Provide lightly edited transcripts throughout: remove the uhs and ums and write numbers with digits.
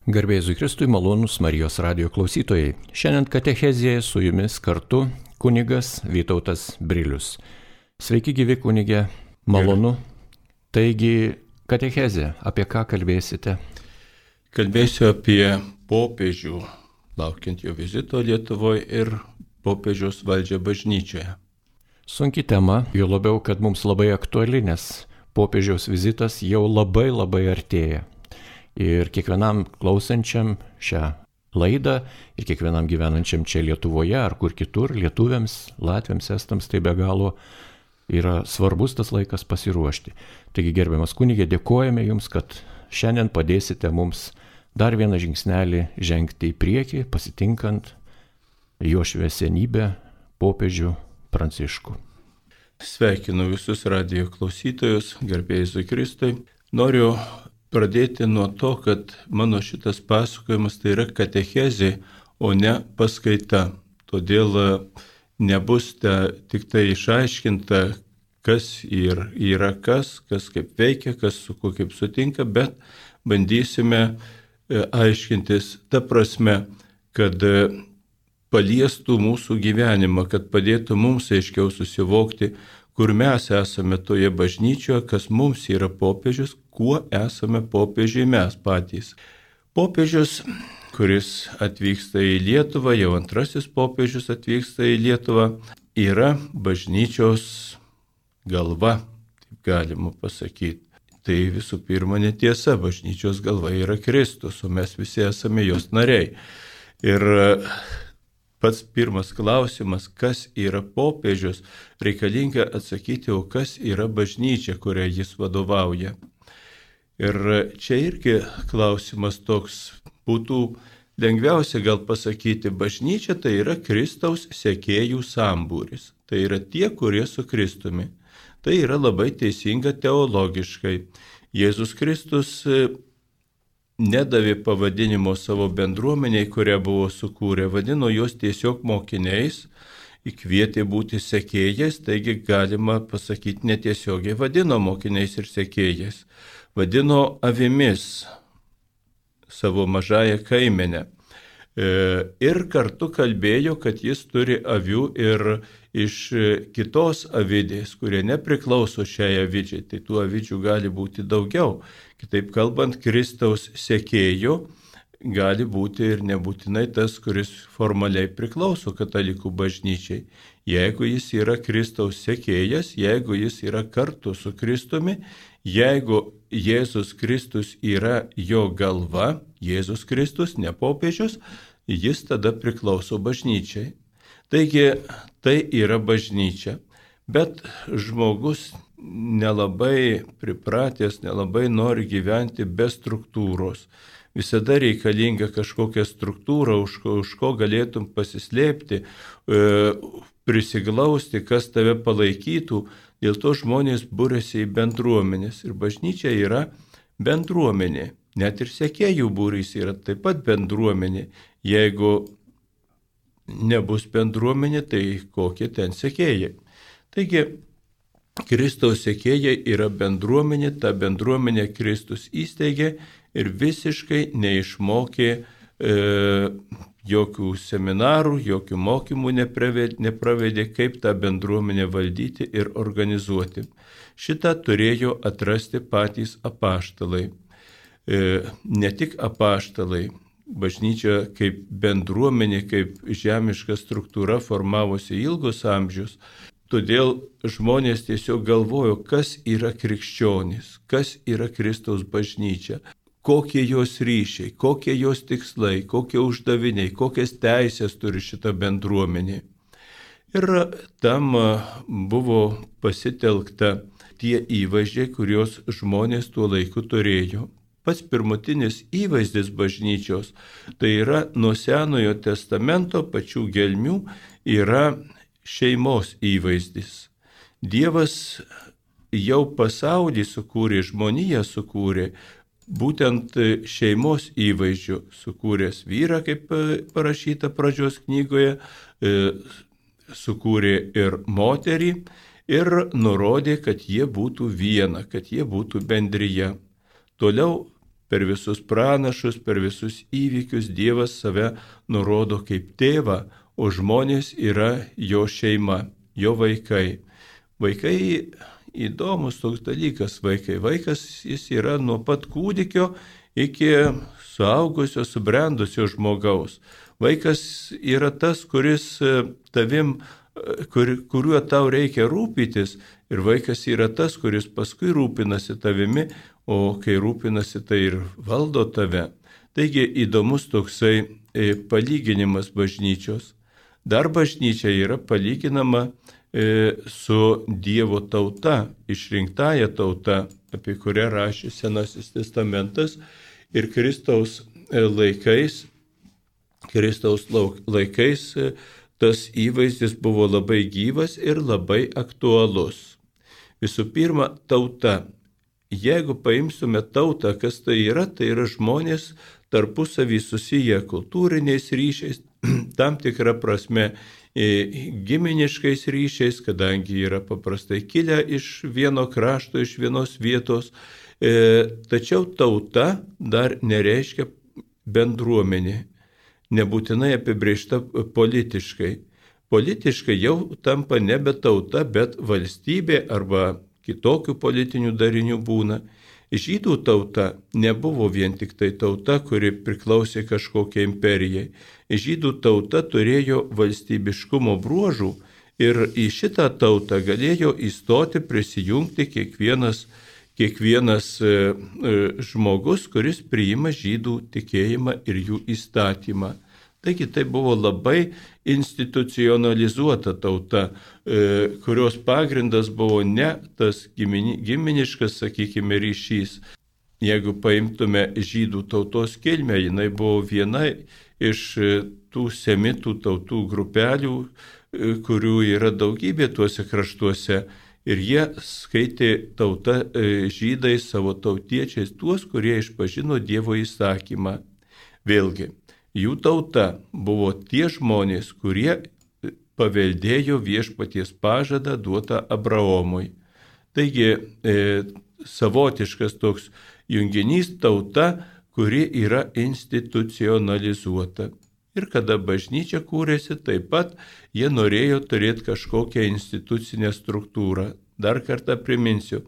Garbė Jėzui Kristui, malonūs Marijos radijo klausytojai. Šiandien katechezėje su jumis kartu kunigas Vytautas Brilius. Sveiki gyvi kunigė, malonu. Taigi katechezė, apie ką kalbėsite? Kalbėsiu apie popiežių, laukiant jo vizito Lietuvoje ir popiežiaus valdžią bažnyčioje. Sunki tema, jo labiau, kad mums labai aktuali, nes popiežiaus vizitas jau labai artėja. Ir kiekvienam klausančiam šią laidą ir kiekvienam gyvenančiam čia Lietuvoje ar kur kitur, lietuviams, latviams, estams, tai be galo yra svarbus tas laikas pasiruošti. Taigi, gerbiamas kunigė, dėkojame Jums, kad šiandien padėsite mums dar vieną žingsnelį žengti į priekį, pasitinkant jo šviesenybę popiežių Pranciškų. Sveikinu visus radijo klausytojus, garbė Jėzui Kristui. Noriu pradėti nuo to, kad mano šitas pasakojimas tai yra katechezė, o ne paskaita. Todėl nebus tik tai išaiškinta, kas yra kas kaip veikia, kas su kuo kaip sutinka, bet bandysime aiškintis ta prasme, kad paliestų mūsų gyvenimą, kad padėtų mums aiškiau susivokti, kur mes esame toje bažnyčioje, kas mums yra popiežius, kuo esame popiežiai mes patys. Popiežius, kuris atvyksta į Lietuvą, jau antrasis popiežius atvyksta į Lietuvą, yra bažnyčios galva, taip galima pasakyti. Tai visų pirma netiesa, bažnyčios galva yra Kristus, o mes visi esame jos nariai. Ir pats pirmas klausimas, kas yra popiežius, reikalinga atsakyti, o kas yra bažnyčia, kurią jis vadovauja. Ir čia irgi klausimas toks būtų lengviausia gal pasakyti, bažnyčia tai yra Kristaus sekėjų sambūris. Tai yra tie, kurie su Kristumi. Tai yra labai teisinga teologiškai. Jėzus Kristus nedavė pavadinimo savo bendruomeniai, kurią buvo sukūrę, vadino juos tiesiog mokiniais, įkvietė būti sekėjais, taigi galima pasakyti netiesiogiai vadino mokiniais ir sekėjais. Vadino avimis savo mažąją kaimenę. Ir kartu kalbėjo, kad jis turi avių ir iš kitos avidės, kurie nepriklauso šiai avidžiai. Tai tų avidžių gali būti daugiau. Kitaip kalbant, Kristaus sekėjų gali būti ir nebūtinai tas, kuris formaliai priklauso katalikų bažnyčiai. Jeigu jis yra Kristaus sekėjas, jeigu jis yra kartu su Kristumi, jeigu Jėzus Kristus yra jo galva, Jėzus Kristus, ne popiežius, jis tada priklauso bažnyčiai. Taigi tai yra bažnyčia, bet žmogus nelabai pripratęs, nelabai nori gyventi be struktūros. Visada reikalinga kažkokia struktūra, už ko galėtum pasislėpti, prisiglausti, kas tave palaikytų. Dėl to žmonės būrėsi į bendruomenės ir bažnyčia yra bendruomenė. Net ir sekėjų būrys yra taip pat bendruomenė. Jeigu nebus bendruomenė, tai kokie ten sekėjai. Taigi, Kristaus sekėjai yra bendruomenė, ta bendruomenė Kristus įsteigė ir visiškai neišmokė jokių seminarų, jokių mokymų nepravedė, kaip tą bendruomenę valdyti ir organizuoti. Šitą turėjo atrasti patys apaštalai. Ne tik apaštalai, bažnyčia kaip bendruomenė, kaip žemiška struktūra formavosi ilgus amžius. Todėl žmonės tiesiog galvojo, kas yra krikščionys, kas yra Kristaus bažnyčia. Kokie jos ryšiai, kokie jos tikslai, kokie uždaviniai, kokias teisės turi šita bendruomenė. Ir tam buvo pasitelkta tie įvaizdžiai, kuriuos žmonės tuo laiku turėjo. Pats pirmutinis įvaizdis bažnyčios, tai yra nuo Senojo testamento pačių gelmių, yra šeimos įvaizdis. Dievas jau pasaulį sukūrė, žmoniją sukūrė, būtent šeimos įvaizdžių sukūręs vyrą, kaip parašyta pradžios knygoje, sukūrė ir moterį ir nurodė, kad jie būtų viena, kad jie būtų bendrija. Toliau per visus pranašus, per visus įvykius Dievas save nurodo kaip tėvą, o žmonės yra jo šeima, jo vaikai. Vaikai įdomus toks dalykas, vaikai. Vaikas jis yra nuo pat kūdikio iki suaugusio, subrendusio žmogaus. Vaikas yra tas, kuris tavim, kuriuo tau reikia rūpytis, ir vaikas yra tas, kuris paskui rūpinasi tavimi, o kai rūpinasi, tai ir valdo tave. Taigi įdomus toksai palyginimas bažnyčios. Dar bažnyčia yra palyginama su Dievo tauta, išrinktąja tauta, apie kurią rašė Senasis testamentas, ir Kristaus laikais tas įvaizdis buvo labai gyvas ir labai aktualus. Visų pirma, tauta. Jeigu paimsime tautą, kas tai yra žmonės tarpusavį susiję kultūriniais ryšiais, tam tikrą prasme giminiškais ryšiais, kadangi yra paprastai kilę iš vieno krašto, iš vienos vietos. Tačiau tauta dar nereiškia bendruomenė, nebūtinai apibrėžta politiškai. Politiškai jau tampa nebe tauta, bet valstybė arba kitokių politinių darinių būna. Žydų tauta nebuvo vien tik tai tauta, kuri priklausė kažkokiai imperijai. Žydų tauta turėjo valstybiškumo bruožų ir į šitą tautą galėjo įstoti, prisijungti kiekvienas žmogus, kuris priima žydų tikėjimą ir jų įstatymą. Taigi tai buvo labai institucionalizuota tauta, kurios pagrindas buvo ne tas giminiškas, sakykime, ryšys. Jeigu paimtume žydų tautos kilmę, jinai buvo viena iš tų semitų tautų grupelių, kurių yra daugybė tuose kraštuose. Ir jie skaitė tauta žydai savo tautiečiais tuos, kurie išpažino Dievo įsakymą. Vėlgi, jų tauta buvo tie žmonės, kurie paveldėjo viešpaties pažadą duotą Abraomui. Taigi, savotiškas toks junginys tauta, kuri yra institucionalizuota. Ir kada bažnyčia kūrėsi, taip pat jie norėjo turėti kažkokią institucinę struktūrą. Dar kartą priminsiu,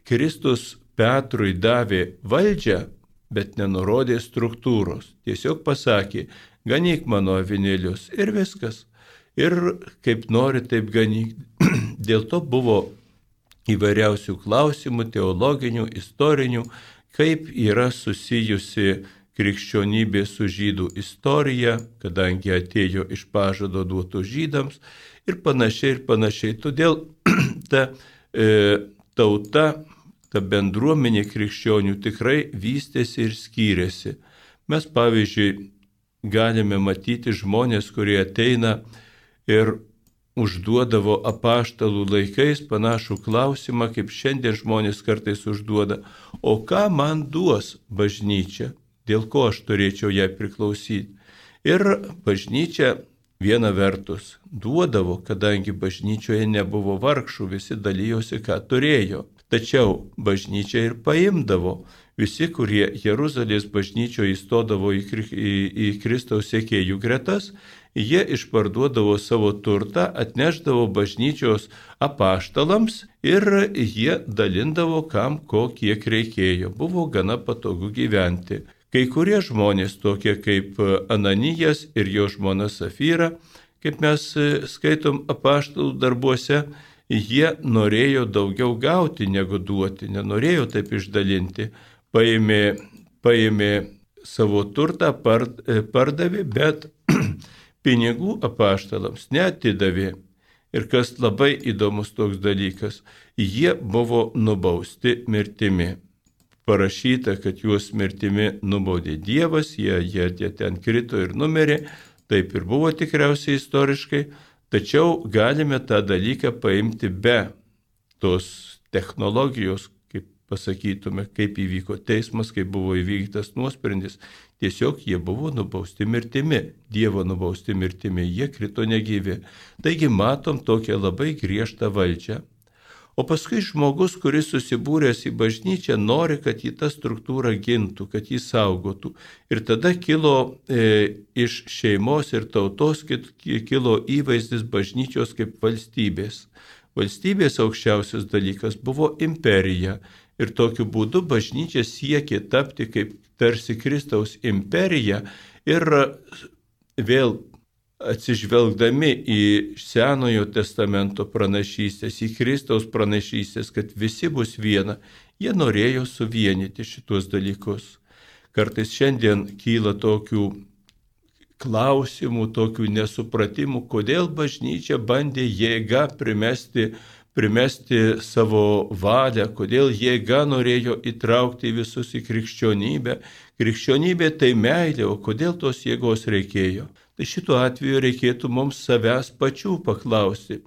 Kristus Petrui davė valdžią, bet nenurodė struktūros. Tiesiog pasakė, ganyk mano avinėlius ir viskas. Ir kaip nori, taip ganyk. Dėl to buvo įvairiausių klausimų, teologinių, istorinių, kaip yra susijusi krikščionybė su žydų istorija, kadangi atėjo iš pažado duotų žydams ir panašiai. Todėl ta tauta, ta bendruomenė krikščionių tikrai vystėsi ir skyrėsi. Mes, pavyzdžiui, galime matyti žmonės, kurie ateina ir užduodavo apaštalų laikais panašų klausimą, kaip šiandien žmonės kartais užduoda, o ką man duos bažnyčia? Dėl ko aš turėčiau jai priklausyti. Ir bažnyčia viena vertus duodavo, kadangi bažnyčioje nebuvo vargšų, visi dalyjosi, ką turėjo. Tačiau bažnyčia ir paimdavo. Visi, kurie Jeruzalės bažnyčioje įstodavo į Kristaus sekėjų gretas, jie išparduodavo savo turtą, atneždavo bažnyčios apaštalams ir jie dalindavo kam ko kiek reikėjo. Buvo gana patogu gyventi. Kai kurie žmonės, tokie kaip Ananijas ir jo žmona Safyra, kaip mes skaitom apaštalų darbuose, jie norėjo daugiau gauti negu duoti, nenorėjo taip išdalinti. Paėmė savo turtą, pardavė, bet pinigų apaštalams neatidavė. Ir kas labai įdomus toks dalykas, jie buvo nubausti mirtimi. Parašyta, kad juos mirtimi nubaudė Dievas, jie ten krito ir numirė, taip ir buvo tikriausiai istoriškai, tačiau galime tą dalyką paimti be tos technologijos, kaip pasakytume, kaip įvyko teismas, kaip buvo įvykdytas nuosprendis. Tiesiog jie buvo nubausti mirtimi, Dievo nubausti mirtimi, jie krito negyvi. Taigi matom tokią labai griežtą valdžią. O paskui žmogus, kuris susibūręs į bažnyčią, nori, kad jį ta struktūra gintų, kad jį saugotų. Ir tada kilo iš šeimos ir tautos kilo įvaizdis bažnyčios kaip valstybės. Valstybės aukščiausias dalykas buvo imperija. Ir tokiu būdu bažnyčia siekė tapti kaip tarsi Kristaus imperija ir vėl atsižvelgdami į Senojo testamento pranašystės, į Kristaus pranašystės, kad visi bus viena, jie norėjo suvienyti šitos dalykus. Kartais šiandien kyla tokių klausimų, tokių nesupratimų, kodėl bažnyčia bandė jėga primesti savo valią, kodėl jėga norėjo įtraukti visus į krikščionybę. Krikščionybė tai meilė, o kodėl tos jėgos reikėjo? Tai šituo atveju reikėtų mums savęs pačių paklausti.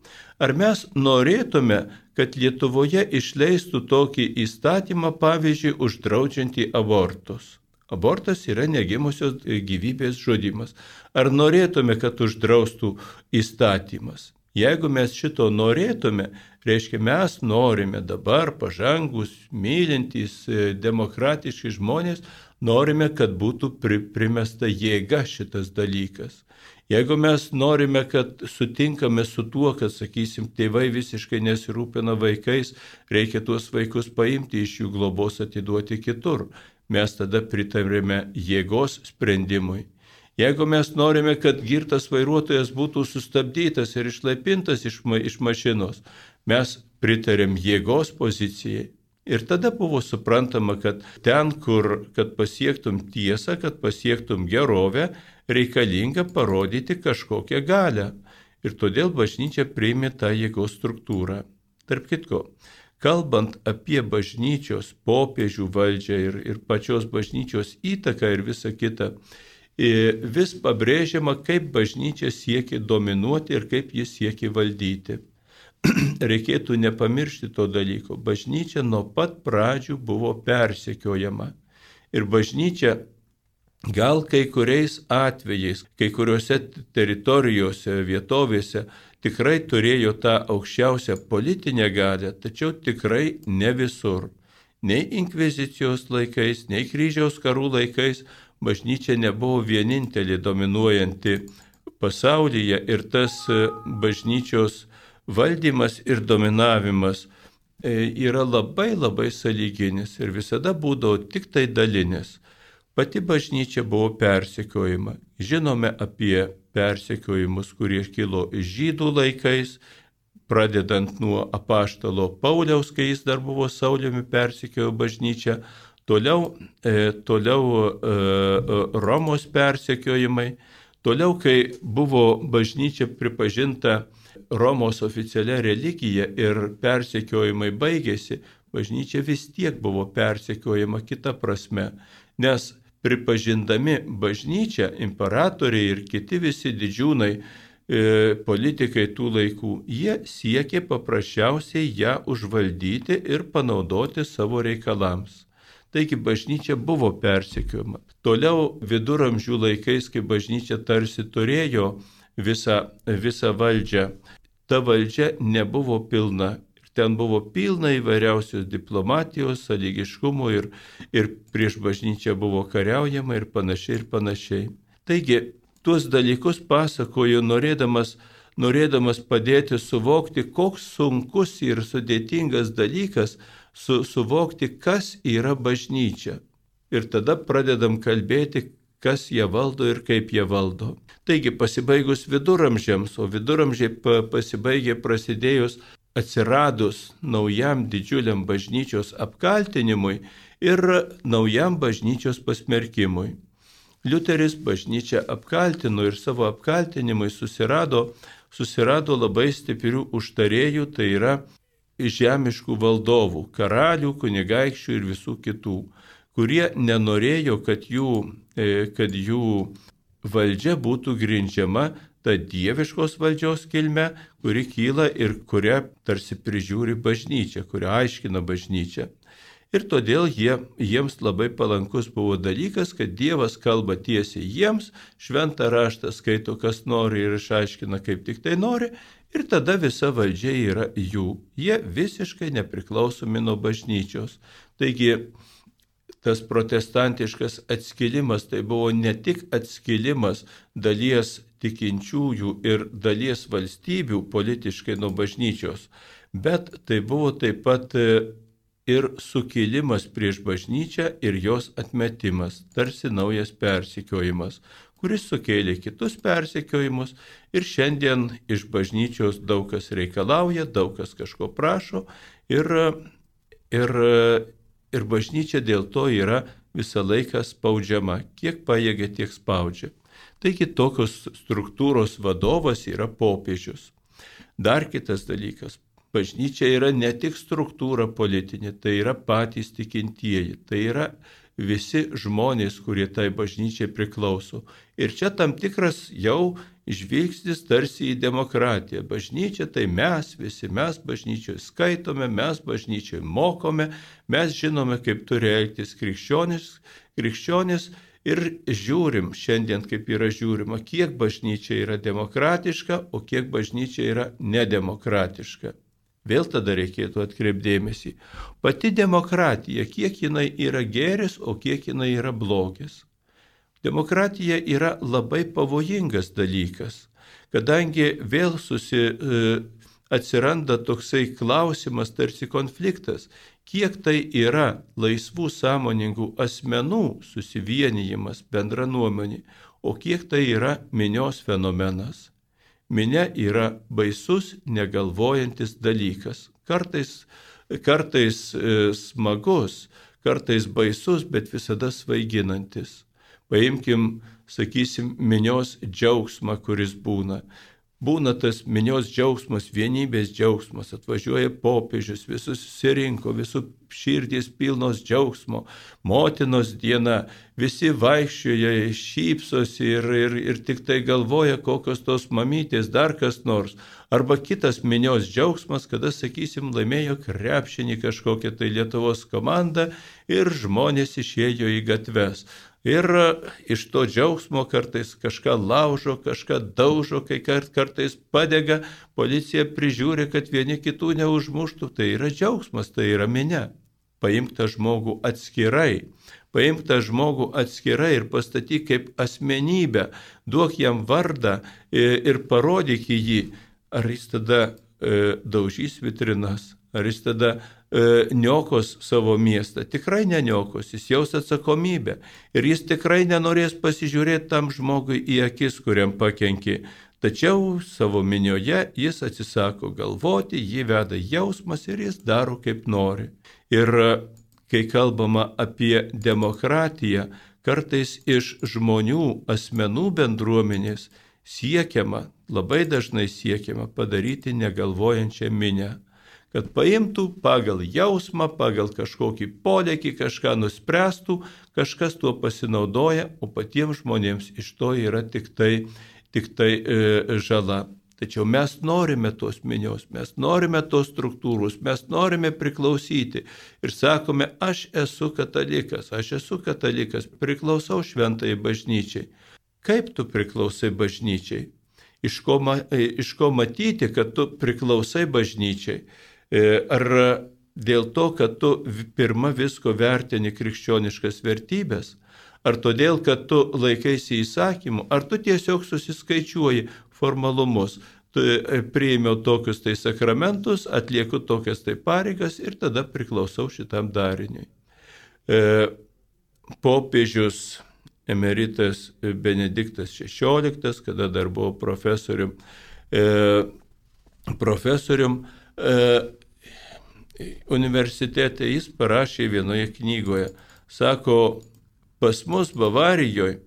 Ar mes norėtume, kad Lietuvoje išleistų tokį įstatymą, pavyzdžiui, uždraudžiantį abortus? Abortas yra negimusios gyvybės žudymas. Ar norėtume, kad uždraustų įstatymas? Jeigu mes šito norėtume, reiškia mes norime dabar pažangus, mylintys, demokratiški žmonės, norime, kad būtų primesta jėga šitas dalykas. Jeigu mes norime, kad sutinkame su tuo, kad, sakysim, tėvai visiškai nesirūpina vaikais, reikia tuos vaikus paimti iš jų globos, atiduoti kitur, mes tada pritarėme jėgos sprendimui. Jeigu mes norime, kad girtas vairuotojas būtų sustabdytas ir išlaipintas iš mašinos, mes pritarėm jėgos pozicijai. Ir tada buvo suprantama, kad ten, kad pasiektum tiesą, kad pasiektum gerovę, reikalinga parodyti kažkokią galią. Ir todėl bažnyčia priėmė tą jėgos struktūrą. Tarp kitko, kalbant apie bažnyčios popiežių valdžią ir pačios bažnyčios įtaką ir visą kitą, vis pabrėžiama, kaip bažnyčia siekia dominuoti ir kaip jis siekia valdyti. Reikėtų nepamiršti to dalyko. Bažnyčia nuo pat pradžių buvo persekiojama. Ir bažnyčia gal kai kuriais atvejais, kai kuriuose teritorijose, vietovėse tikrai turėjo tą aukščiausią politinę galią, tačiau tikrai ne visur. Nei inkvizicijos laikais, nei kryžiaus karų laikais bažnyčia nebuvo vienintelė dominuojanti pasaulyje ir tas bažnyčios valdymas ir dominavimas yra labai sąlyginis ir visada būdavo tik tai dalinis. Pati bažnyčia buvo persekiojama. Žinome apie persekiojimus, kurie kilo žydų laikais, pradedant nuo apaštalo Pauliaus, kai jis dar buvo Sauliumi persekiojo bažnyčią, toliau Romos persekiojimai, toliau, kai buvo bažnyčia pripažinta Romos oficialia religija ir persekiojimai baigėsi, bažnyčia vis tiek buvo persekiojama kita prasme, nes pripažindami bažnyčią, imperatoriai ir kiti visi didžiūnai, politikai tų laikų, jie siekė paprasčiausiai ją užvaldyti ir panaudoti savo reikalams. Taigi bažnyčia buvo persekiojama. Toliau viduramžių laikais, kai bažnyčia tarsi turėjo visą valdžią, ta valdžia nebuvo pilna. Ten buvo pilna įvairiausios diplomatijos, sąlygiškumo ir prieš bažnyčią buvo kariaujama ir panašiai. Taigi, tuos dalykus pasakoju, norėdamas padėti suvokti, koks sunkus ir sudėtingas dalykas suvokti, kas yra bažnyčia. Ir tada pradedam kalbėti, kas ją valdo ir kaip ją valdo. Taigi pasibaigus viduramžiams, o viduramžiai pasibaigė prasidėjus atsiradus naujam didžiuliam bažnyčios apkaltinimui ir naujam bažnyčios pasmerkimui. Liuteris bažnyčią apkaltino ir savo apkaltinimui susirado labai stiprių užtarėjų, tai yra žemiškų valdovų, karalių, kunigaikščių ir visų kitų, kurie nenorėjo, kad jų valdžia būtų grindžiama ta dieviškos valdžios kilme, kuri kyla ir kurią tarsi prižiūri bažnyčia, kurią aiškina bažnyčia. Ir todėl jiems labai palankus buvo dalykas, kad Dievas kalba tiesiai jiems, šventą raštą skaito kas nori ir išaiškina kaip tik tai nori, ir tada visa valdžia yra jų. Jie visiškai nepriklausomi nuo bažnyčios. Taigi tas protestantiškas atskilimas tai buvo ne tik atskilimas dalies tikinčiųjų ir dalies valstybių politiškai nuo bažnyčios, bet tai buvo taip pat ir sukilimas prieš bažnyčią ir jos atmetimas, tarsi naujas persekiojimas, kuris sukėlė kitus persekiojimus ir šiandien iš bažnyčios daug kas reikalauja, daug kas kažko prašo ir bažnyčia dėl to yra visą laiką spaudžiama, kiek pajėgia, tiek spaudžia. Taigi tokios struktūros vadovas yra popiežius. Dar kitas dalykas. Bažnyčia yra ne tik struktūra politinė, tai yra patys tikintieji, tai yra visi žmonės, kurie tai bažnyčiai priklauso. Ir čia tam tikras jau žvilgsnis tarsi į demokratiją. Bažnyčia tai mes visi, mes bažnyčioje skaitome, mes bažnyčioje mokome, mes žinome, kaip turi elgtis krikščionis ir žiūrim šiandien, kaip yra žiūrima, kiek bažnyčia yra demokratiška, o kiek bažnyčia yra nedemokratiška. Vėl tada reikėtų atkreipdėmėsi. Pati demokratija, kiek jinai yra gėris, o kiek jinai yra blogis. Demokratija yra labai pavojingas dalykas, kadangi vėl atsiranda toksai klausimas, tarsi konfliktas, kiek tai yra laisvų sąmoningų asmenų susivienijimas bendra nuomonė, o kiek tai yra minios fenomenas. Minia yra baisus, negalvojantis dalykas. Kartais smagus, kartais baisus, bet visada svaiginantis. Paimkim, sakysim, minios džiaugsmą, kuris būna. Būna tas minios džiaugsmas, vienybės džiaugsmas, atvažiuoja popiežius, visus susirinko, visų širdys pilnos džiaugsmo, motinos diena, visi vaikščioja, šypsosi ir tik tai galvoja, kokios tos mamytės, dar kas nors. Arba kitas minios džiaugsmas, kada, sakysim, laimėjo krepšinį kažkokią tai Lietuvos komandą ir žmonės išėjo į gatves. Ir iš to džiaugsmo kartais kažką laužo, kažką daužo, kai kartais padega, policija prižiūri, kad vieni kitų neužmuštų. Tai yra džiaugsmas, tai yra minia. Paimk tą žmogų atskirai ir pastatyk kaip asmenybę, duok jam vardą ir parodyk jį, ar jis tada daužys vitrinas, ar jis tada niokos savo miestą. Tikrai neniokos, jis jaus atsakomybę ir jis tikrai nenorės pasižiūrėti tam žmogui į akis, kuriam pakenkė. Tačiau savo minioje jis atsisako galvoti, jį veda jausmas ir jis daro kaip nori. Ir kai kalbama apie demokratiją, kartais iš žmonių, asmenų bendruomenės labai dažnai siekiama padaryti negalvojančią minią. Kad paimtų pagal jausmą, pagal kažkokį polėkį, kažką nuspręstų, kažkas tuo pasinaudoja, o patiems žmonėms iš to yra tik tai žala. Tačiau mes norime tos minios, mes norime tos struktūros, mes norime priklausyti ir sakome, aš esu katalikas, priklausau šventai bažnyčiai. Kaip tu priklausai bažnyčiai? Iš ko matyti, kad tu priklausai bažnyčiai? Ar dėl to, kad tu pirma visko vertini krikščioniškas vertybės, ar todėl, kad tu laikaisi įsakymų, ar tu tiesiog susiskaičiuoji formalumus, tu priėmiau tokius tai sakramentus, atlieku tokias tai pareigas ir tada priklausau šitam dariniui. Popiežius emeritas Benediktas XVI, kada dar buvo profesorium, universitete jis parašė vienoje knygoje, sako, pas mus Bavarijoje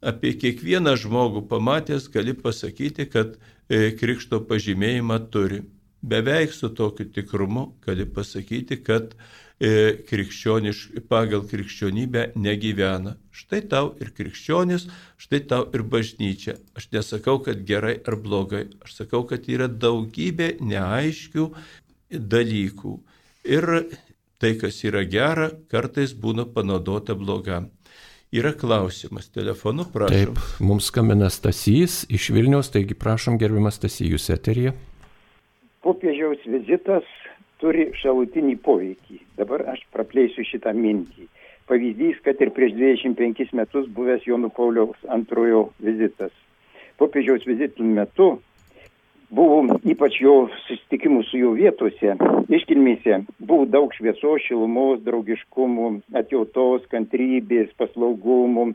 apie kiekvieną žmogų pamatęs gali pasakyti, kad krikšto pažymėjimą turi. Beveik su tokiu tikrumu gali pasakyti, kad pagal krikščionybę negyvena. Štai tau ir krikščionis, štai tau ir bažnyčia. Aš nesakau, kad gerai ar blogai. Aš sakau, kad yra daugybė neaiškių dalykų. Ir tai, kas yra gera, kartais būna panaudota blogam. Yra klausimas, telefonu prašom. Taip, mums skambina Stasys iš Vilniaus, taigi prašom, gerbiamas Stasy, jūs eteryje. Popiežiaus vizitas turi šalutinį poveikį. Dabar aš praplėsiu šitą mintį. Pavyzdys, kad ir prieš 25 metus buvęs Jono Pauliaus II vizitas. Popiežiaus vizitų metu buvo ypač jo susitikimų su jo vietose, iškilmėse, buvo daug šviesos, šilumos, draugiškumų, atjautos, kantrybės, paslaugumų.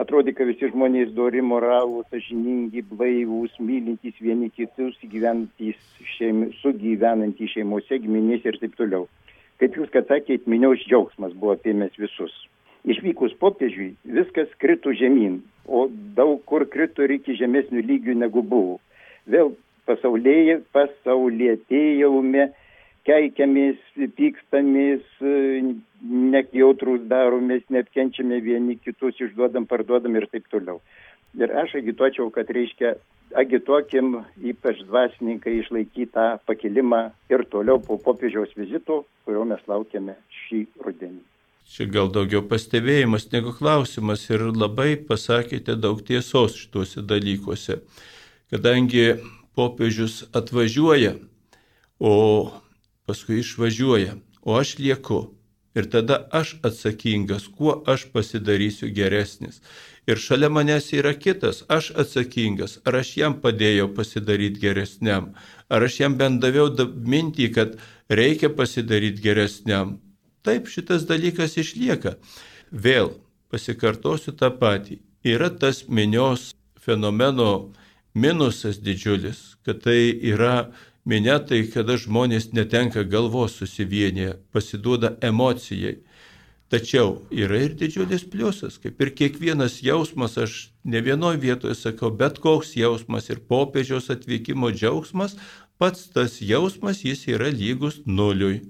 Atrodė, kad visi žmonės dori, moralūs, sąžiningi, blaivūs, mylintys vieni kitus, sugyvenantys šeimose, giminėse ir taip toliau. Kaip jūs, kad sakėt, minios džiaugsmas buvo apėmęs visus. Išvykus popiežiui viskas krito žemyn, o daug kur krito ir iki žemesnių lygių negu buvo. Vėl pasaulietėjaume, keikiamės, pykstamės, nejautrūs daromės, neapkenčiame vieni kitus, išduodam, parduodam ir taip toliau. Ir aš agituočiau, kad agituokim ypač dvasininkai išlaikyti tą pakilimą ir toliau po popiežiaus vizito, kurio mes laukiame šį rudenį. Čia gal daugiau pastebėjimas negu klausimas ir labai pasakėte daug tiesos šituose dalykuose. Kadangi popiežius atvažiuoja, o paskui išvažiuoja, o aš lieku. Ir tada aš atsakingas, kuo aš pasidarysiu geresnis. Ir šalia manęs yra kitas, aš atsakingas, ar aš jam padėjau pasidaryti geresniam, ar aš jam bent daviau mintį, kad reikia pasidaryti geresniam. Taip, šitas dalykas išlieka. Vėl pasikartosiu tą patį. Yra tas minios fenomeno minusas didžiulis, kad tai yra minia, tai kada žmonės netenka galvos susivienyje, pasiduoda emocijai. Tačiau yra ir didžiulis pliusas, kaip ir kiekvienas jausmas, aš ne vienoje vietoje sakau, bet koks jausmas ir popiežiaus atvykimo džiaugsmas, pats tas jausmas jis yra lygus nuliui.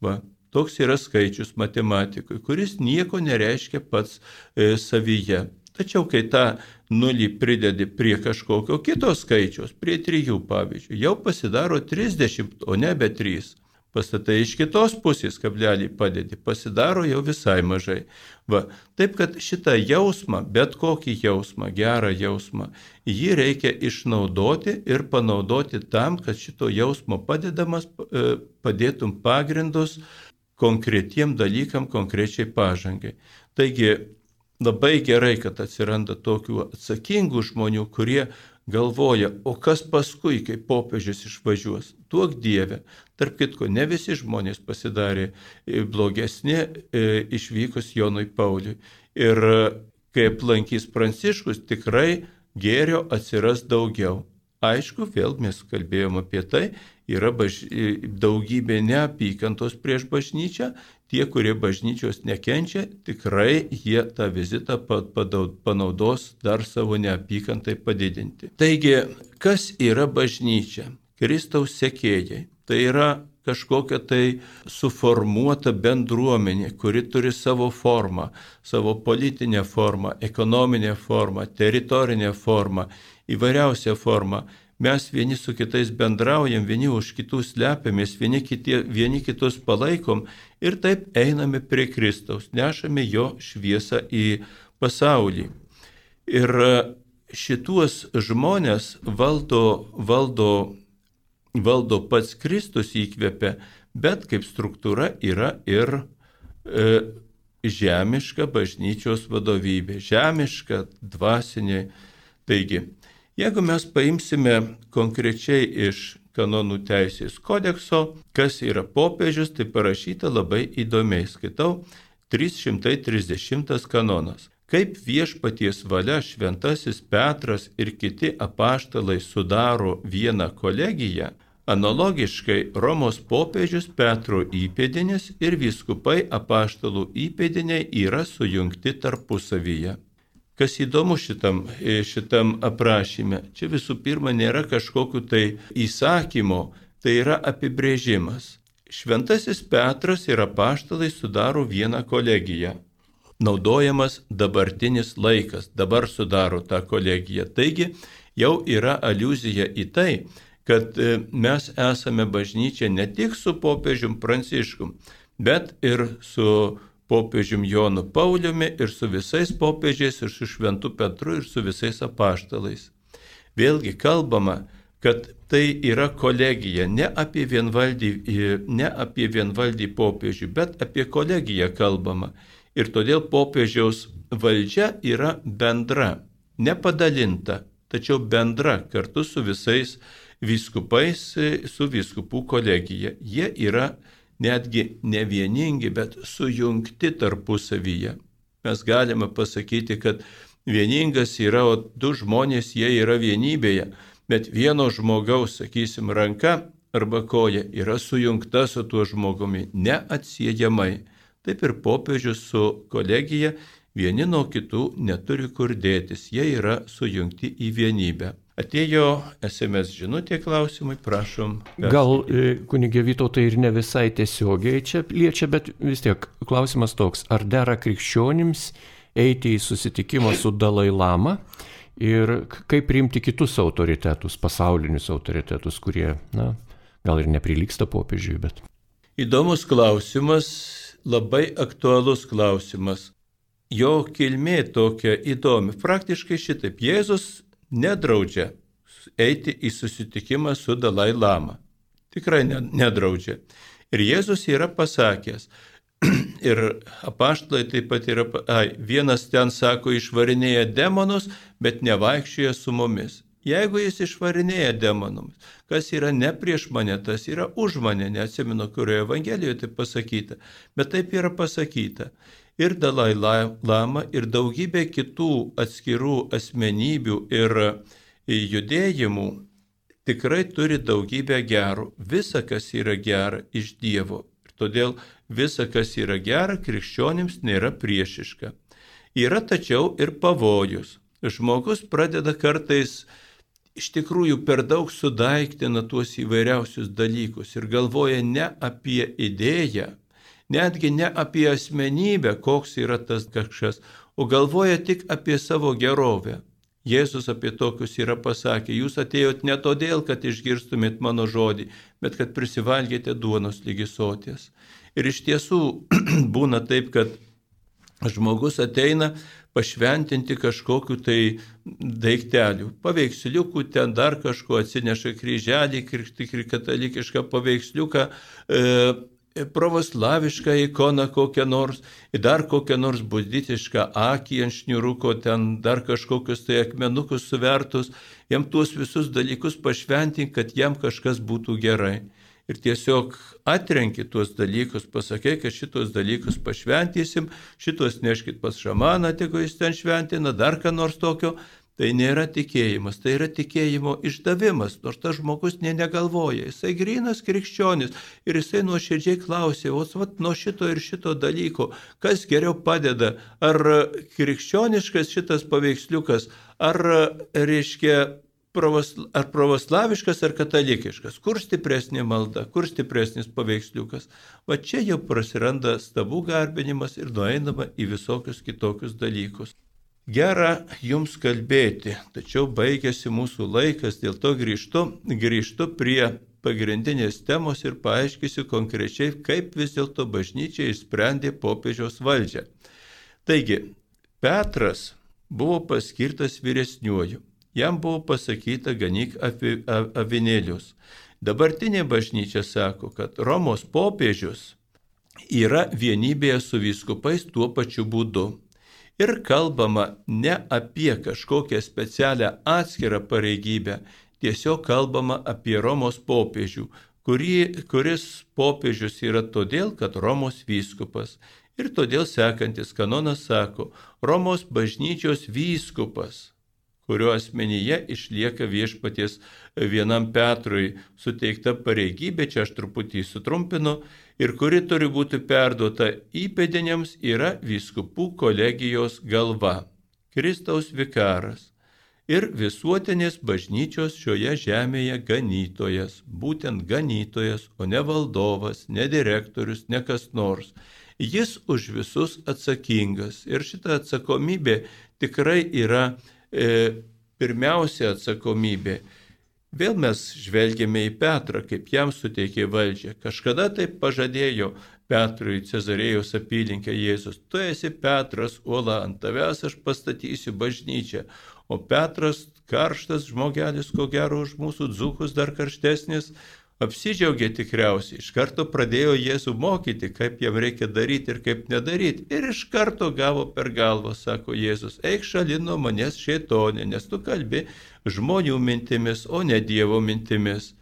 Va, toks yra skaičius matematikui, kuris nieko nereiškia pats savyje. Tačiau kai tą nulį pridedi prie kažkokio kito skaičiaus, prie 3 pavyzdžiui, jau pasidaro 30, o nebe 3. Pastatai iš kitos pusės kablelį padedi, pasidaro jau visai mažai. Va, taip kad šitą jausmą, bet kokį jausmą, gerą jausmą, jį reikia išnaudoti ir panaudoti tam, kad šito jausmo padėtum pagrindus konkretiem dalykam, konkrečiai pažangai. Taigi, labai gerai, kad atsiranda tokių atsakingų žmonių, kurie galvoja, o kas paskui, kai popiežius išvažiuos, duok Dieve. Tarp kitko, ne visi žmonės pasidarė blogesni išvykus Jonui Pauliui. Ir kai aplankys Pranciškus, tikrai gėrio atsiras daugiau. Aišku, vėl mes kalbėjom apie tai, yra daugybė neapykantos prieš bažnyčią, tie, kurie bažnyčios nekenčia, tikrai jie tą vizitą panaudos dar savo neapykantai padidinti. Taigi, kas yra bažnyčia? Kristaus sekėjai. Tai yra kažkokia tai suformuota bendruomenė, kuri turi savo formą, savo politinę formą, ekonominę formą, teritorinę formą, įvairiausią formą. Mes vieni su kitais bendraujam, vieni už kitus slepiamės, vieni kitus palaikom ir taip einame prie Kristaus, nešame jo šviesą į pasaulį. Ir šituos žmonės valdo pats Kristus įkvepia, bet kaip struktūra yra ir žemiška bažnyčios vadovybė, žemiška, dvasinė. Taigi, jeigu mes paimsime konkrečiai iš kanonų teisės kodekso, kas yra popiežius, tai parašyta labai įdomiai. Skaitau 330 kanonas. Kaip viešpaties valia šventasis Petras ir kiti apaštalai sudaro vieną kolegiją, analogiškai Romos popiežius Petro įpėdinis ir vyskupai apaštalų įpėdiniai yra sujungti tarpusavyje. Kas įdomu šitam aprašyme, čia visų pirma nėra kažkokiu tai įsakymo, tai yra apibrėžimas. Šventasis Petras ir apaštalai sudaro vieną kolegiją. Naudojamas dabartinis laikas, dabar sudaro tą kolegiją. Taigi jau yra aliuzija į tai, kad mes esame bažnyčia ne tik su popiežium Pranciškum, bet ir su popiežium Jonu Pauliumi, ir su visais popiežiais, ir su Šventu Petru, ir su visais apaštalais. Vėlgi kalbama, kad tai yra kolegija, ne apie vienvaldį popiežių, bet apie kolegiją kalbama. Ir todėl popiežiaus valdžia yra bendra, nepadalinta, tačiau bendra kartu su visais vyskupais, su vyskupų kolegija. Jie yra netgi ne vieningi, bet sujungti tarpusavyje. Mes galime pasakyti, kad vieningas yra, o du žmonės jie yra vienybėje, bet vieno žmogaus, sakysim, ranka arba koja yra sujungta su tuo žmogumi neatsiejamai. Taip ir popiežius su kolegija vieni nuo kitų neturi kur dėtis, jie yra sujungti į vienybę. Atėjo SMS žinutė klausimai, prašom. Gal kunigė Vytautai ir ne visai tiesiogiai čia liečia, bet vis tiek klausimas toks, ar dera krikščionims eiti į susitikimą su Dalai Lama ir kaip priimti kitus autoritetus, pasaulinius autoritetus, kurie, gal ir neprilygsta popiežiui, bet... Įdomus klausimas, labai aktualus klausimas. Jo kilmė tokia įdomi. Praktiškai šitaip. Jėzus nedraudžia eiti į susitikimą su Dalai Lama. Tikrai nedraudžia. Ir Jėzus yra pasakęs, ir apaštalai taip pat yra, vienas ten sako, išvarinėja demonus, bet nevaikščioja su mumis. Jeigu jis išvarinėja demonus, kas yra ne prieš mane, tas yra už mane, neatsimenu, kurioje Evangelijoje taip pasakyta, bet taip yra pasakyta. Ir Dalai Lama, ir daugybė kitų atskirų asmenybių ir judėjimų tikrai turi daugybę gerų. Visa, kas yra gera, iš Dievo. Ir todėl visa, kas yra gera, krikščionims nėra priešiška. Yra tačiau ir pavojus. Žmogus pradeda kartais iš tikrųjų per daug sudaiktina tuos įvairiausius dalykus ir galvoja ne apie idėją, netgi ne apie asmenybę, koks yra tas kažkas, o galvoja tik apie savo gerovę. Jėzus apie tokius yra pasakė, jūs atėjot ne todėl, kad išgirstumėt mano žodį, bet kad prisivalgėte duonos lygi soties. Ir iš tiesų būna taip, kad žmogus ateina pašventinti kažkokiu tai daiktelių, paveiksliukų, ten dar kažko atsineša kryželį, katalikišką paveiksliuką, pravoslavišką ikoną kokią nors, dar kokią nors buditišką akį ant šniuruko, ten dar kažkokius tai akmenukus suvertus, jam tuos visus dalykus pašventink, kad jam kažkas būtų gerai. Ir tiesiog atrenki tuos dalykus, pasakai, kad šitos dalykus pašventysim, šitos neškit pas šamaną, tegu jis ten šventina, dar ką nors tokio. Tai nėra tikėjimas, tai yra tikėjimo išdavimas, nors tas žmogus negalvoja. Jisai grynas krikščionis ir jisai nuoširdžiai klausė, nuo šito ir šito dalyko, kas geriau padeda, ar krikščioniškas šitas paveiksliukas, ar pravoslaviškas, ar katalikiškas, kur stipresnė malda, kur stipresnis paveiksliukas. Va čia jau prasiranda stabų garbinimas ir nueinama į visokius kitokius dalykus. Gera jums kalbėti, tačiau baigėsi mūsų laikas, dėl to grįžtu prie pagrindinės temos ir paaiškysiu konkrečiai, kaip vis dėlto bažnyčia išsprendė popiežiaus valdžią. Taigi, Petras buvo paskirtas vyresniuoju, jam buvo pasakyta ganyk avinėlius. Dabartinė bažnyčia sako, kad Romos popiežius yra vienybėje su vyskupais tuo pačiu būdu. Ir kalbama ne apie kažkokią specialią atskirą pareigybę, tiesiog kalbama apie Romos popiežių, kuris popiežius yra todėl, kad Romos vyskupas. Ir todėl sekantis kanonas sako, Romos bažnyčios vyskupas, kurio asmenyje išlieka viešpaties vienam Petrui suteikta pareigybė, čia aš truputį sutrumpinu, ir kuri turi būti perduota įpėdiniams, yra vyskupų kolegijos galva, Kristaus vikaras ir visuotinės bažnyčios šioje žemėje ganytojas, būtent ganytojas, o ne valdovas, ne direktorius, ne kas nors. Jis už visus atsakingas ir šita atsakomybė tikrai yra pirmiausia atsakomybė. Vėl mes žvelgėme į Petrą, kaip jam suteikė valdžią. Kažkada taip pažadėjo Petrui Cezarėjos apylinkę Jėzus: tu esi Petras, uola, ant tavęs aš pastatysiu bažnyčią. O Petras, karštas žmogelis, ko gero už mūsų dzūkus dar karštesnis, apsidžiaugė tikriausiai. Iš karto pradėjo Jėzų mokyti, kaip jam reikia daryti ir kaip nedaryti. Ir iš karto gavo per galvą, sako Jėzus: eik šalin nuo manęs, šėtonė, nes tu kalbi žmonių mintimis, o ne Dievo mintimis.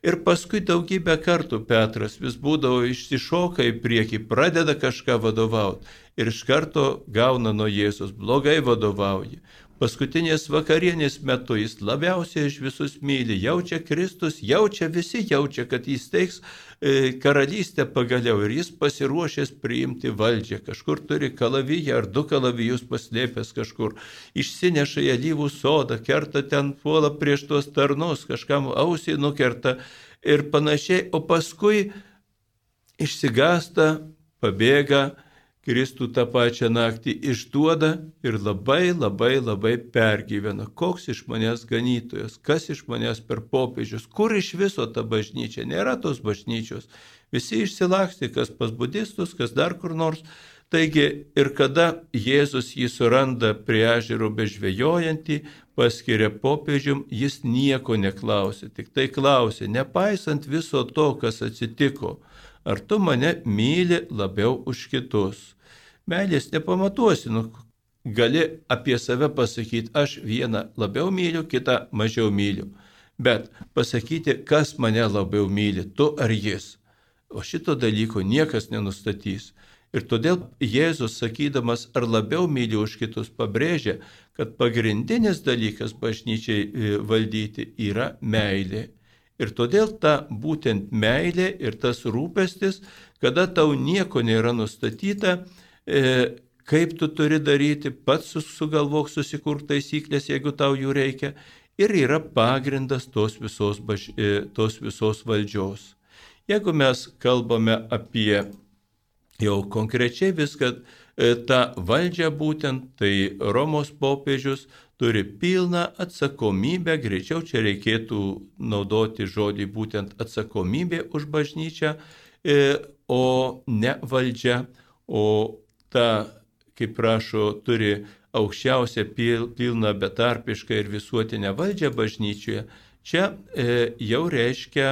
Ir paskui daugybę kartų Petras vis būdavo išsišoka į priekį, pradeda kažką vadovauti ir iš karto gauna nuo Jėzus: blogai vadovauji. Paskutinės vakarienės metu jis labiausiai iš visus myli, jaučia Kristus, visi jaučia, kad jis teiks karalystę pagaliau ir jis pasiruošęs priimti valdžią. Kažkur turi kalaviją ar 2 kalavijus paslėpęs kažkur, išsineša į alyvų sodą, kerta ten, puola prieš tuos tarnus, kažkam ausį nukerta ir panašiai, o paskui išsigąsta, pabėga, Kristų tą pačią naktį išduoda ir labai pergyvena. Koks iš manęs ganytojas, kas iš manęs per popiežius, kur iš viso ta bažnyčia, nėra tos bažnyčios. Visi išsilakstė, kas pas budistus, kas dar kur nors. Taigi ir kada Jėzus jį suranda prie ežero bežvejojantį, paskiria popiežium, jis nieko neklausė, tik tai klausė, nepaisant viso to, kas atsitiko: ar tu mane myli labiau už kitus? Meilės nepamatuosi, gali apie save pasakyti: aš vieną labiau myliu, kitą mažiau myliu. Bet pasakyti, kas mane labiau myli, tu ar jis. O šito dalyko niekas nenustatys. Ir todėl Jėzus, sakydamas, ar labiau myli už kitus, pabrėžia, kad pagrindinis dalykas bažnyčiai valdyti yra meilė. Ir todėl ta būtent meilė ir tas rūpestis, kada tau nieko nėra nustatyta, kaip tu turi daryti, pats sugalvok, susikurk taisyklės, jeigu tau jų reikia, ir yra pagrindas tos visos valdžios. Jeigu mes kalbame apie jau konkrečiai viską, tą valdžią būtent, tai Romos popiežius turi pilną atsakomybę, greičiau čia reikėtų naudoti žodį būtent atsakomybė už bažnyčią, o ne valdžia, o ta, kaip rašo, turi aukščiausią pilną betarpišką ir visuotinę valdžią bažnyčioje. Čia jau reiškia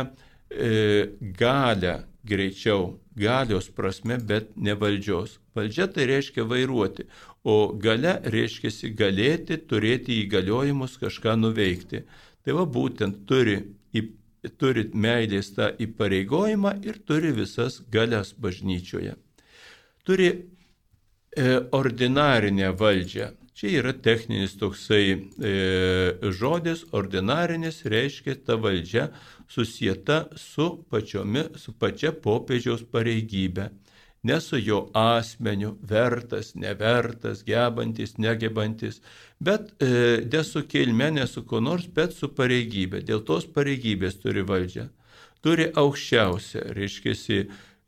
galę, greičiau, galios prasme, bet ne valdžios. Valdžia tai reiškia vairuoti, o galia reiškia galėti, turėti įgaliojimus kažką nuveikti. Tai va būtent turi meilės tą įpareigojimą ir turi visas galias bažnyčioje. Turi ordinarinę valdžią. Čia yra techninis toksai žodis, ordinarinis reiškia ta valdžia susieta su pačia popiežiaus pareigybė. Ne su jo asmeniu, vertas, nevertas, gebantis, negebantis, bet ne su kilme, ne su ko nors, bet su pareigybė. Dėl tos pareigybės turi valdžią. Turi aukščiausią, reiškia,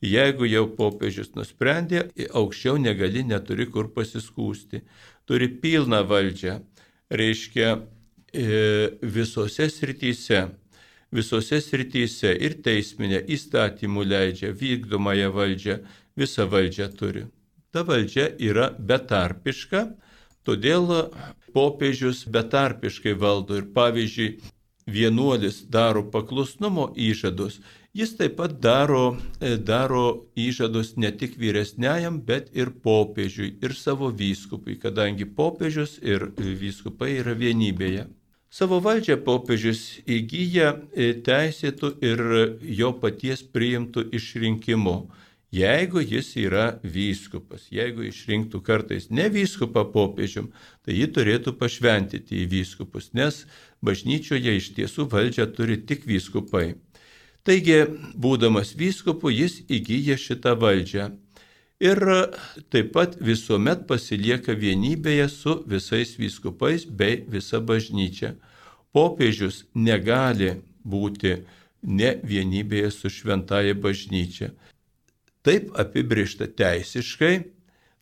jeigu jau popiežius nusprendė, aukščiau negali, neturi kur pasiskūsti. Turi pilną valdžią, reiškia visose srityse ir teisminė, įstatymų leidžia, vykdomąją valdžią, visą valdžią turi. Ta valdžia yra betarpiška, todėl popiežius betarpiškai valdo ir pavyzdžiui, vienuolis daro paklusnumo įžadus, jis taip pat daro įžadus ne tik vyresniajam, bet ir popiežiui, ir savo vyskupui, kadangi popiežius ir vyskupai yra vienybėje. Savo valdžią popiežius įgyja teisėtų ir jo paties priimtų išrinkimu, jeigu jis yra vyskupas. Jeigu išrinktų kartais ne vyskupą popiežium, tai jį turėtų pašventyti į vyskupus, nes bažnyčioje iš tiesų valdžią turi tik vyskupai. Taigi, būdamas vyskupu, jis įgyja šitą valdžią ir taip pat visuomet pasilieka vienybėje su visais vyskupais bei visa bažnyčia. Popiežius negali būti ne vienybėje su šventąja bažnyčia. Taip apibrėžta teisiškai,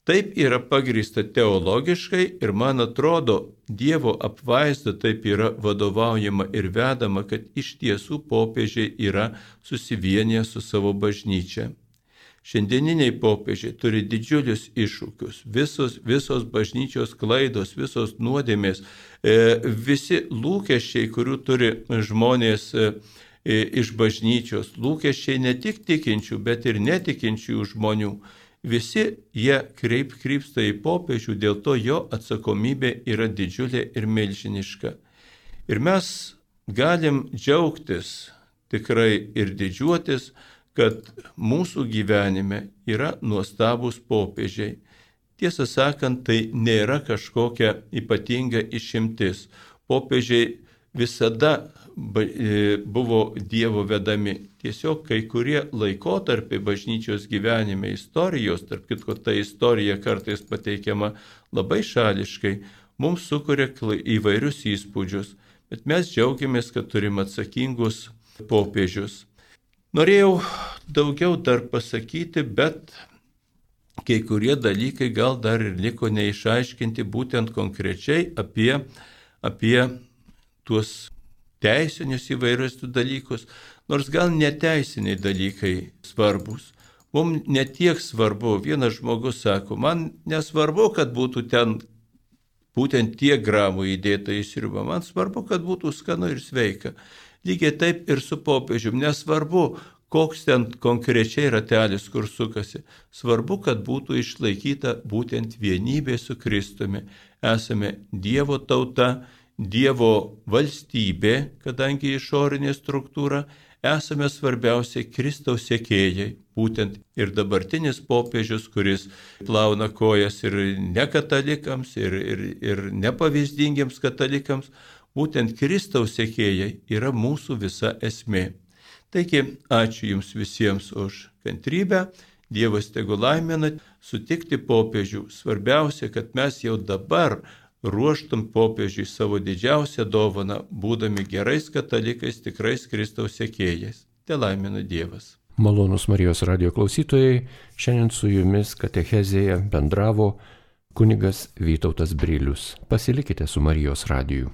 taip yra pagrįsta teologiškai ir man atrodo, Dievo apvaizda taip yra vadovaujama ir vedama, kad iš tiesų popiežiai yra susivienyje su savo bažnyčia. Šiandieniniai popiežiai turi didžiulius iššūkius. Visos bažnyčios klaidos, visos nuodėmės, visi lūkesčiai, kurių turi žmonės iš bažnyčios, lūkesčiai ne tik tikinčių, bet ir netikinčių žmonių. Visi jie krypsta į popiežių, dėl to jo atsakomybė yra didžiulė ir milžiniška. Ir mes galim džiaugtis tikrai ir didžiuotis, kad mūsų gyvenime yra nuostabus popiežiai. Tiesą sakant, tai nėra kažkokia ypatinga išimtis. Popiežiai visada buvo Dievo vedami. Tiesiog kai kurie laikotarpiai bažnyčios gyvenime, istorijos, tarp kitko ta istorija kartais pateikiama labai šališkai, mums sukuria įvairius įspūdžius, bet mes džiaugiamės, kad turim atsakingus popiežius. Norėjau daugiau dar pasakyti, bet kai kurie dalykai gal dar ir liko neišaiškinti būtent konkrečiai apie tuos teisinius įvairius dalykus, nors gal neteisiniai dalykai svarbus. Mums netiek svarbu, vienas žmogus sako, man nesvarbu, kad būtų ten būtent tiek gramų įdėta į sriubą, man svarbu, kad būtų skanu ir sveika. Lygiai taip ir su popiežium, nesvarbu, koks ten konkrečiai ratelis, kur sukasi. Svarbu, kad būtų išlaikyta būtent vienybė su Kristumi. Esame Dievo tauta, Dievo valstybė, kadangi išorinė struktūra, esame svarbiausiai Kristaus sekėjai. Būtent ir dabartinis popiežius, kuris plauna kojas ir nekatalikams, ir nepavyzdingiems katalikams, būtent Kristaus sekėjai yra mūsų visa esmė. Taigi, ačiū Jums visiems už kantrybę, Dievas tegu laimina sutikti popiežių. Svarbiausia, kad mes jau dabar ruoštum popiežiui savo didžiausią dovaną, būdami gerais katalikais, tikrais Kristaus sekėjais. Te laimina Dievas. Malonūs Marijos radijo klausytojai, šiandien su jumis katechezėje bendravo kunigas Vytautas Brilius. Pasilikite su Marijos radiju.